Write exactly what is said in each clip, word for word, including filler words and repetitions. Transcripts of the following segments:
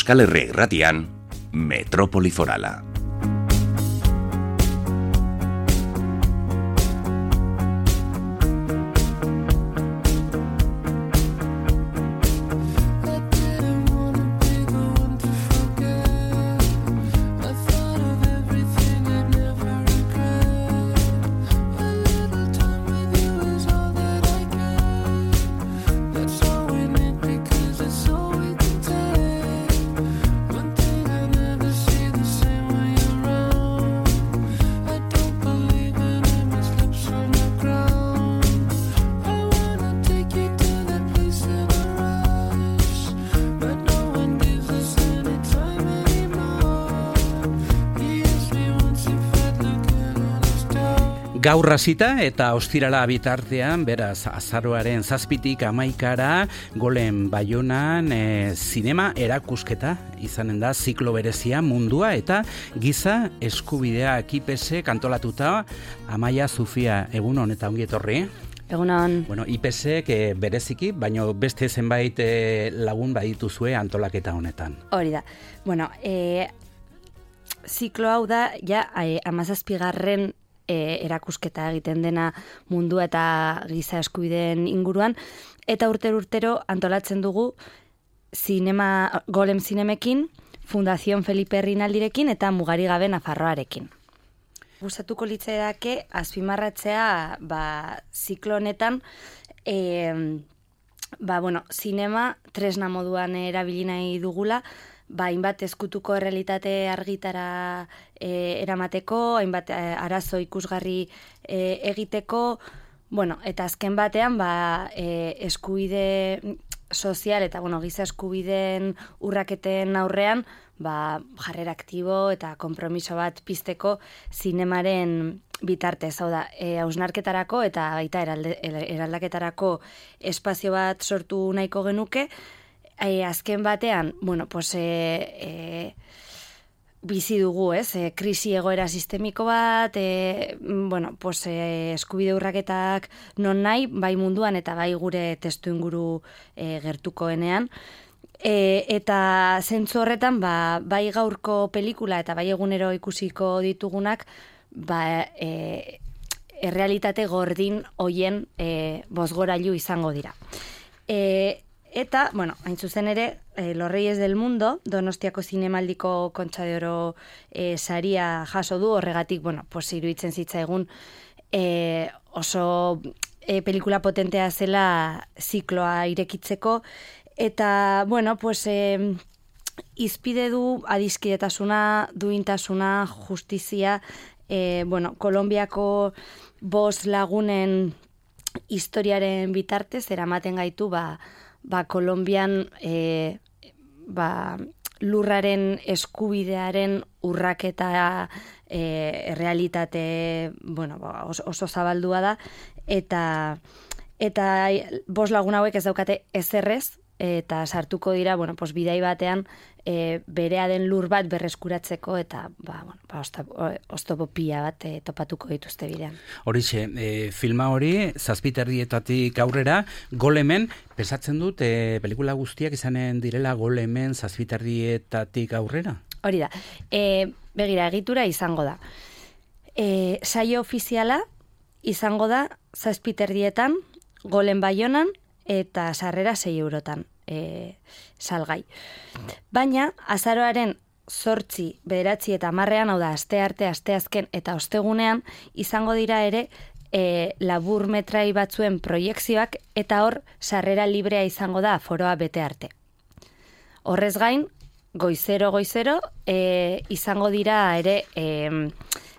Euskal Herria Irratian, Metrópoli Forala. Gaur hasita eta ostirala bitartean, beraz, azaroaren zazpitik amaikara, Golem Baionan e, zinema erakusketa izanen da, ziklo berezia mundua eta giza eskubidea kipese kantolatuta. Amaia, Zufia, egun honetan ongi etorri. Egunon. Bueno, I P S ek bereziki, baino beste zenbait e, lagun badituzue antolaketa honetan. Hori da. Bueno, e, ziklo hau da, ja, e, amazazpigarren E, erakusketa egiten dena mundu eta giza eskubideen inguruan, eta urtero-urtero antolatzen dugu zinema, Golem Zinemekin, Fundación Felipe Rinaldirekin eta Mugari Gabe Nafarroarekin. Gustatuko litzaidake azpimarratzea ba, ziklo honetan e, ba, bueno, zinema tresna moduan erabili nahi dugula, ba, hainbat ezkutuko errealitate argitara e, eramateko, hainbat e, arazo ikusgarri e, egiteko, bueno, eta azken batean ba, e, eskubide sozial eta bueno, giza eskubideen urraketen aurrean ba, jarrera aktibo eta konpromiso bat pizteko zinemaren bitartez, hau da, e, hausnarketarako eta baita eralde, eraldaketarako espazio bat sortu nahiko genuke. E, azken batean, bueno, pues, e, e, bizi dugu, ez? E, krisi egoera sistemiko bat, e, bueno, pues, e, eskubide urraketak non nahi, bai munduan eta bai gure testu inguru e, gertukoenean. E, eta zentzu horretan, ba, bai gaurko pelikula eta bai egunero ikusiko ditugunak, ba, e, errealitate gordin hoien e, bozgorailu izango dira. E, Eta, bueno, hain zuzen ere, eh, Los Reyes del Mundo, Donostiako zinemaldiko Kontxa de Oro eh, saria jaso du, horregatik, bueno, pues, iruditzen zitzaigun eh, oso eh, pelikula potentea zela zikloa irekitzeko, eta, bueno, pues, eh, izpide du adiskidetasuna, duintasuna, justizia, eh, bueno, Kolonbiako bost lagunen historiaren bitartez, eramaten gaitu, ba, ba, Kolonbian e, ba, lurraren eskubidearen urraketa e, realitate bueno, ba, oso, oso zabaldua da, eta eta bost lagun hauek ez daukate ezerrez, eta sartuko dira, bueno, pues, bidai batean e, berea den lur bat berreskuratzeko, eta ba, bueno, ba, oztopo pila bat e, topatuko dituzte bidean. Horixe, e, filma hori, zazpiterdietatik aurrera, Golemen, pesatzen dut, e, pelikula guztiak izanen direla Golemen zazpiterdietatik aurrera? Hori da, e, begira, egitura izango da. E, saio ofiziala izango da zazpiterdietan, Golem Baionan, eta sarrera sei eurotan e, salgai. Baina, azaroaren zortzi, bederatzi eta hamarrean, hau da, aste arte, aste azken eta ostegunean, izango dira ere e, labur metrai batzuen proiekzioak, eta hor, sarrera librea izango da aforoa bete arte. Horrez gain, goizero, goizero, e, izango dira ere e,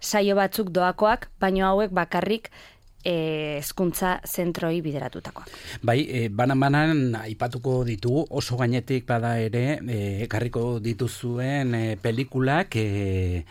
saio batzuk doakoak, baino hauek bakarrik hezkuntza zentroi bideratutakoak. Bai, e, banan-banan aipatuko ditugu, oso gainetik bada ere, e, ekarriko dituzuen e, pelikulak e,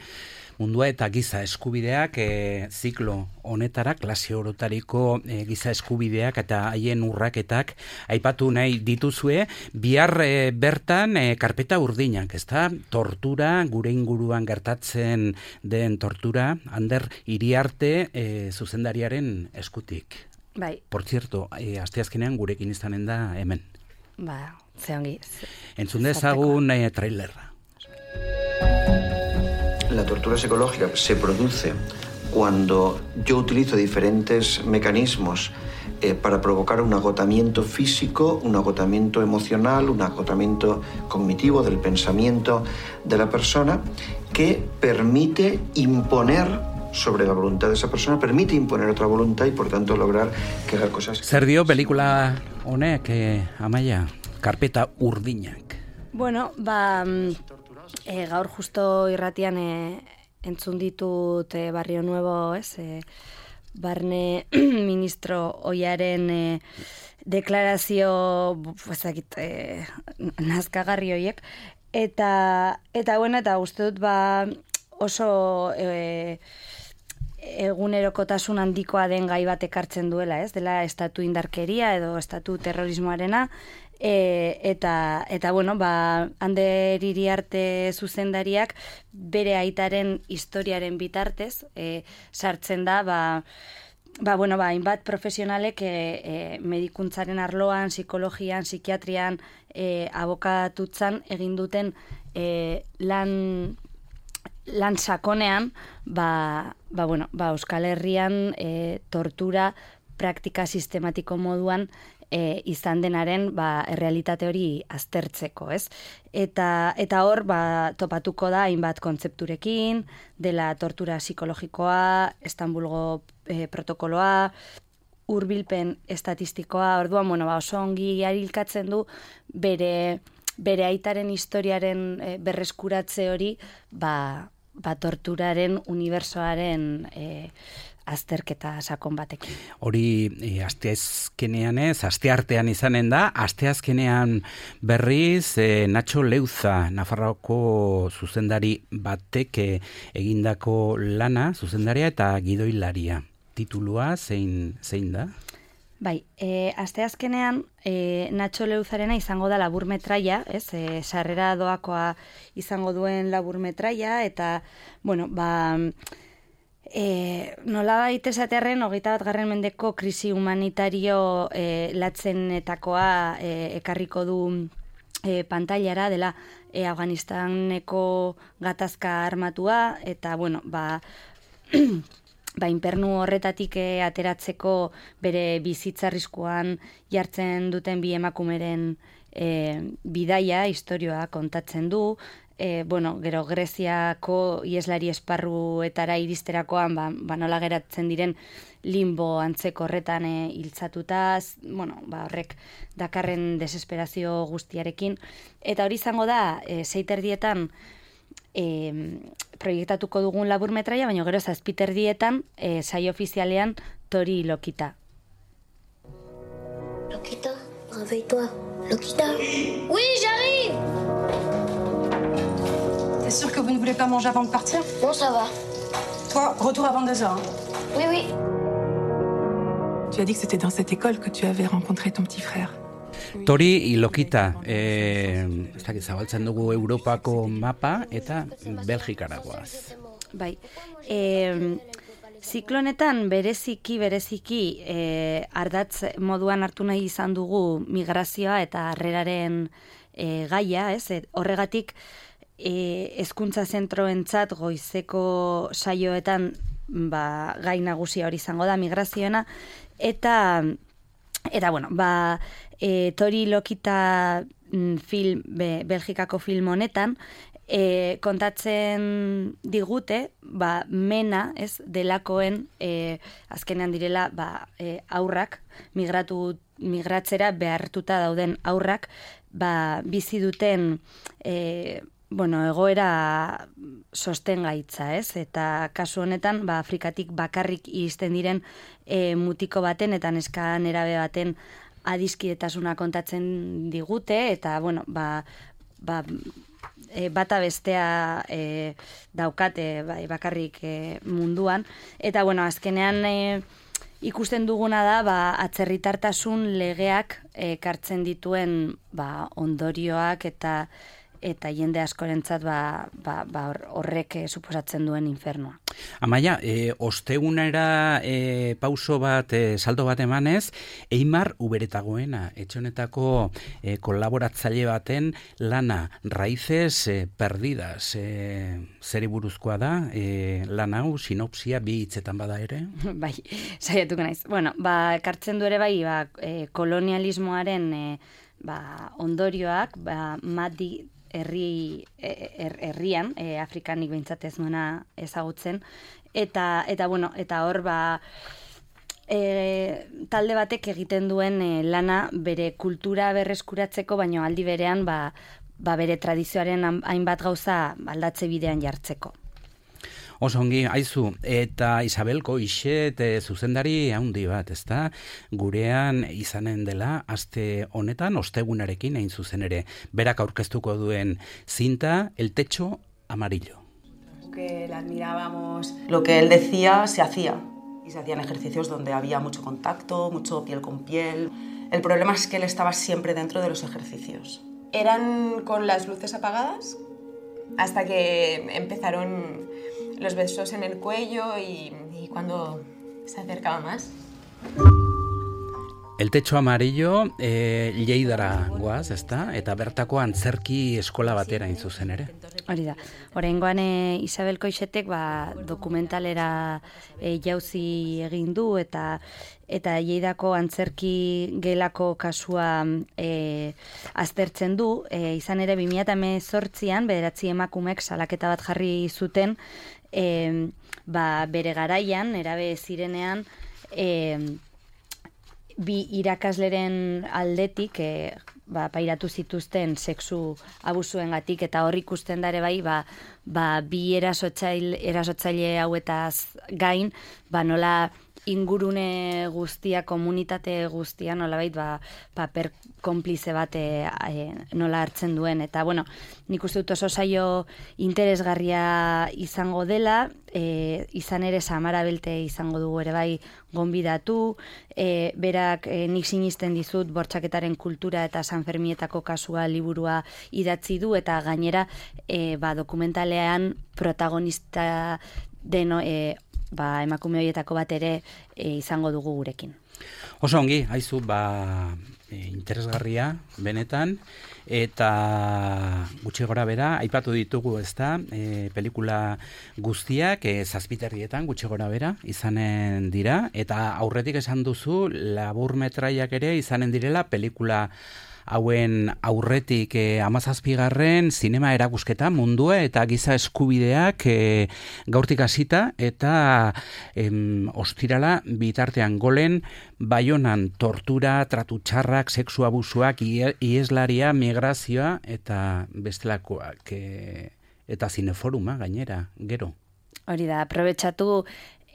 mundua eta giza eskubideak e, ziklo honetara, klase orotariko e, giza eskubideak eta haien urraketak aipatu nahi dituzue, bihar e, bertan e, karpeta urdinak, ezta? Tortura, gure inguruan gertatzen den tortura, Ander Iriarte e, zuzendariaren eskutik. Bai. Por cierto, e, asteazkenean gurekin izanen da hemen. Ba, Ze ongi. Entzun dezagun eh, trailerra. La tortura psicológica se produce cuando yo utilizo diferentes mecanismos eh, para provocar un agotamiento físico, un agotamiento emocional, un agotamiento cognitivo del pensamiento de la persona que permite imponer sobre la voluntad de esa persona, permite imponer otra voluntad y por tanto lograr que haga cosas. Zer dio pelikula honek, eh, Amaia? Karpeta urdinak. Bueno, ba, e, gaur justo irratian e, entzun ditut e, Barrio Nuevo, ez, e, barne ministro oiaren e, deklarazio, ezakit, e, nazkagarri hoiek, eta, eta, bueno, eta uste dut, ba, oso e, egunerokotasun handikoa den gai bat ekartzen duela, ez? Dela estatu indarkeria edo estatu terrorismoarena, e, eta, eta bueno, ba, Ander Iriarte zuzendariak bere aitaren historiaren bitartez, e, sartzen da, ba, ba, bueno, ba, hainbat profesionalek e, e, medikuntzaren arloan, psikologian, psikiatrian, e, abokatutzan egin duten e, lan... lan sakonean, ba, ba, bueno, ba, Euskal Herrian e, tortura praktika sistematiko moduan e, izan denaren ba, errealitate hori aztertzeko, ez? Eta, eta hor, ba, topatuko da hainbat kontzepturekin, dela tortura psikologikoa, Istanbulgo e, protokoloa, hurbilpen estatistikoa, orduan, bueno, ba, oso ongi arilkatzen du bere, bere aitaren historiaren e, berreskuratze hori, ba, ba torturaren unibertsoaren e, azterketa sakon batekin. Hori e, asteazkenean ez, asteartean izanen da, asteazkenean berriz e, Nacho Leuza, Nafarroako zuzendari batek e, egindako lana, zuzendaria eta gidoilaria. Titulua zein, zein da? Bai, e, asteazkenean e, Nacho Leuzarena izango da laburmetraia, ez, e, sarrera doakoa izango duen laburmetraia, eta, bueno, ba, e, nola baita esatearren, hogeita bat garren mendeko krisi humanitario e, latzenetakoa e, ekarriko du e, pantailara, dela e, Afganistaneko gatazka armatua, eta, bueno, ba... ba, inpernu horretatik e, ateratzeko bere bizitza arriskuan jartzen duten bi emakumeren e, bidaia, istorioa kontatzen du. E, bueno, gero Greziako ieslari esparruetara iristerakoan, ba, ba nola geratzen diren limbo antzeko horretan e, hiltzatuta, bueno, ba, horrek dakarren desesperazio guztiarekin. Eta hori izango da, e, seiterdietan, E, proiektatuko dugun laburmetraia, baina gero zazpiterdietan e, saio ofizialean Tori Lokita. Lokita, réveille-toi. Lokita. Oui, j'arrive. T'es sûr que vous ne voulez pas manger avant de partir? Non, ça va. Toi, retour à vingt-deux heures. Hein. Oui, oui. Tu as dit que c'était dans cette école que tu avais rencontré ton petit frère. Tori Lokita, eh, ez dakit zabaltzen dugu Europako mapa eta Belgikaragoaz. Bai, e, ziklonetan bereziki, bereziki e, ardatz moduan hartu nahi izan dugu migrazioa eta harreraren e, gaia, ez? E, horregatik e, hezkuntza zentroentzat goizeko saioetan ba, gai nagusia hori izango da migrazioena, eta eta bueno, ba E, Tori Lokita mm, film, be, Belgikako film honetan, e, kontatzen digute, ba, mena, ez, delakoen, e, azkenean direla, ba, e, aurrak, migratu, migratzera behartuta dauden aurrak, ba, bizi duten, e, bueno, egoera sostengaitza, ez? Eta kasu honetan, ba, Afrikatik bakarrik iristen diren e, mutiko baten eta neska nerabe baten adiskidetasuna kontatzen digute, eta, bueno, ba, ba, e, bata bestea e, daukate ba, bakarrik e, munduan. Eta, bueno, azkenean e, ikusten duguna da, ba, atzerritartasun legeak ekartzen dituen ba, ondorioak eta eta jende askorentzat ba, ba, ba horrek suposatzen duen infernua. Amaia, e, ostegunera e, pauso bat, e, salto bat emanez, Eimar Uberetagoena, etxonetako e, kolaboratzaile baten lana, Raíces e, perdidas, e, zeri buruzkoa da, e, lan hau, sinopsia bi hitzetan bada ere? Bai, saiatuko naiz. Bueno, ba, kartzen du ere bai, ba, e, kolonialismoaren e, ba, ondorioak, ba, madi herri her, herrian, e, Afrikanik behintzat ez nuena ezagutzen, eta, eta, bueno, eta hor, ba, e, talde batek egiten duen e, lana bere kultura berreskuratzeko, baino aldi berean, ba, ba bere tradizioaren hainbat gauza aldatze bidean jartzeko. Oso ongi, aizu, eta Isabel Koixet e, zuzendari haundi bat, ezta? Gurean izanen dela, aste honetan, ostegunarekin hain zuzen ere. Berak aurkeztuko duen zinta, El techo amarillo. Que le admirábamos, lo que él decía se hacía. Y se hacían ejercicios donde había mucho contacto, mucho piel con piel. El problema es que él estaba siempre dentro de los ejercicios. ¿Eran con las luces apagadas? Hasta que empezaron los besos en el cuello y, y cuando se acercaba más. El techo amarillo, e, Lleidara goaz, ezta? Eta bertako antzerki eskola batera hain zuzen ere. Hori da. Oraingoan e, Isabel Koixetek ba, dokumentalera e, jauzi egin du eta eta Lleidako antzerki gelako kasua e, aztertzen du. E, izan ere bi mila hemezortzian bederatzi emakumek salaketa bat jarri zuten e, ba, bere garaian, erabe zirenean, e, bi irakasleren aldetik e, ba, pairatu zituzten sexu abusuengatik eta hor ikusten da ere bai ba, ba, bi erasotzaile, erasotzaile hauetaz gain ba, nola ingurune guztia, komunitate guztia nolabait ba, paper konplize bat e, e, nola hartzen duen. Eta, bueno, nik uste dut oso saio interesgarria izango dela, e, izan ere Samara Belte izango dugu ere bai gonbidatu, e, berak e, nik sinisten dizut bortxaketaren kultura eta Sanfermietako kasua liburua idatzi du, eta gainera e, ba, dokumentalean protagonista deno, e, ba, emakume horietako bat ere e, izango dugu gurekin. Oso ongi, haizu, ba, e, interesgarria, benetan, eta gutxi gora bera, aipatu ditugu, ezta, e, pelikula guztiak, e, zazpiterrietan, gutxi gora bera, izanen dira, eta aurretik esan duzu, laburmetraiak ere izanen direla, pelikula hauen aurretik eh, amazazpigarren zinema erakusketa mundua eta giza eskubideak eh, gaurtik hasita eta em, ostirala bitartean golen Baionan tortura, tratu txarrak, sexu abusuak, ieslaria, migrazioa eta bestelakoak e, eta zineforuma gainera, gero. Hori da, aprobetxatu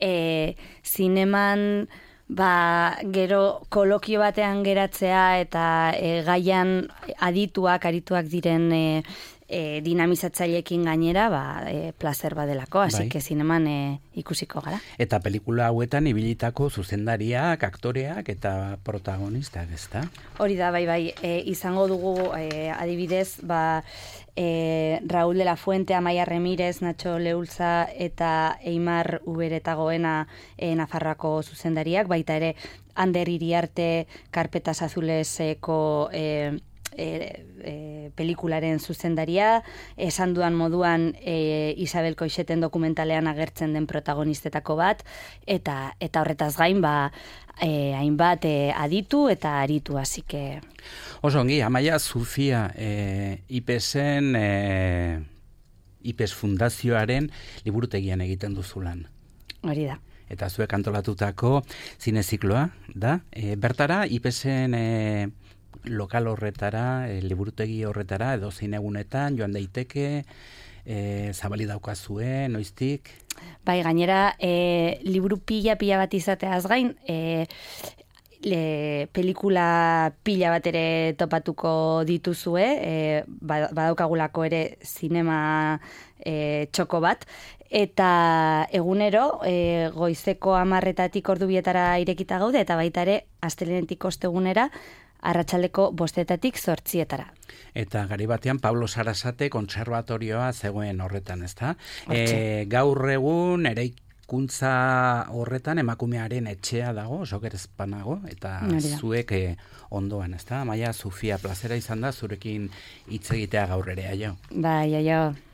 e, zineman ba, gero kolokio batean geratzea eta e, gaian adituak, arituak diren e, e, dinamizatzaileekin gainera, ba, e, placer badelako, hasi que zineman e, ikusiko gara. Eta pelikula hauetan ibilitako zuzendariak, aktoreak eta protagonistak, ezta? Hori da, bai, bai, e, izango dugu e, adibidez, ba, e, Raúl de la Fuente, Amaia Remírez, Nacho Leulza eta Eimar Uberetagoena e, Nafarroako zuzendariak, baita ere Ander Iriarte, Karpetas Azuleseko e, e, e, pelikularen zuzendaria, esan duan moduan e, Isabel Koixeten dokumentalean agertzen den protagonistetako bat, eta eta horretaz gain, ba, e, hainbat e, aditu eta aritu, hasi que... Oso ongi, Amaia Zufia, e, IPESen, e, IPES Fundazioaren liburutegian egiten duzulan. Hori da. Eta zuek antolatutako zinezikloa, da? E, bertara, IPESen e, lokal horretara, e, liburutegi horretara, edo zinegunetan, joan daiteke, e, zabali daukazue, noiztik? Bai, gainera, e, liburu pila-pila bat izateaz gain, e, Le, pelikula pila bat ere topatuko dituzue, e, badaukagulako ere zinema e, txoko bat, eta egunero e, goizeko hamarretatik ordu bietara irekita gaude, eta baita ere astelenetik ostegunera arratsaldeko bostetatik zortzietara. Eta gari batean Pablo Sarasate kontserbatorioa zegoen horretan, ezta? E, gaur egun eraikuntza horretan emakumearen etxea dago, oso gerezpanago, eta zuek e, ondoan, ezta? Amaia, Sofia, plazera izan da zurekin hitz egitea gaur ere, aio. Bai, aio.